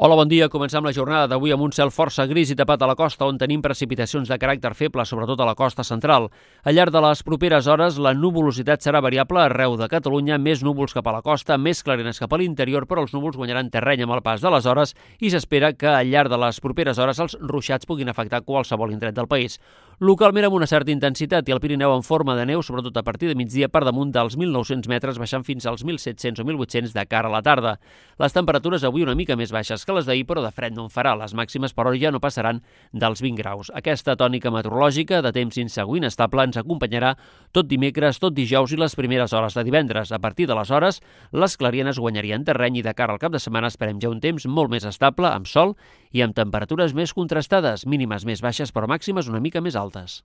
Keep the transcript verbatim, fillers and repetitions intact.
Hola, bon dia. Comencem la jornada d'avui amb un cel força gris i tapat a la costa, on tenim precipitacions de caràcter feble, sobretot a la costa central. Al llarg de les properes hores, la nuvolositat serà variable arreu de Catalunya, més núvols cap a la costa, més clarianes cap a l'interior, però els núvols guanyaran terreny amb el pas de les hores i s'espera que al llarg de les properes hores els ruixats puguin afectar qualsevol indret del país. Localment amb una certa intensitat i el Pirineu en forma de neu, sobretot a partir de migdia per damunt dels mil nou-cents metres, baixant fins als mil set-cents o mil vuit-cents de cara a la tarda. Les temperatures avui una mica més baixes que les d'ahir, però de fred no en farà. Les màximes, però, ja no passaran dels vint graus. Aquesta tònica meteorològica de temps insegur i inestable ens acompanyarà tot dimecres, tot dijous i les primeres hores de divendres. A partir d'aleshores, les clarianes guanyarien terreny i de cara al cap de setmana esperem ja un temps molt més estable, amb sol i amb temperatures més contrastades, mínimes més baixes però màximes una mica més altes.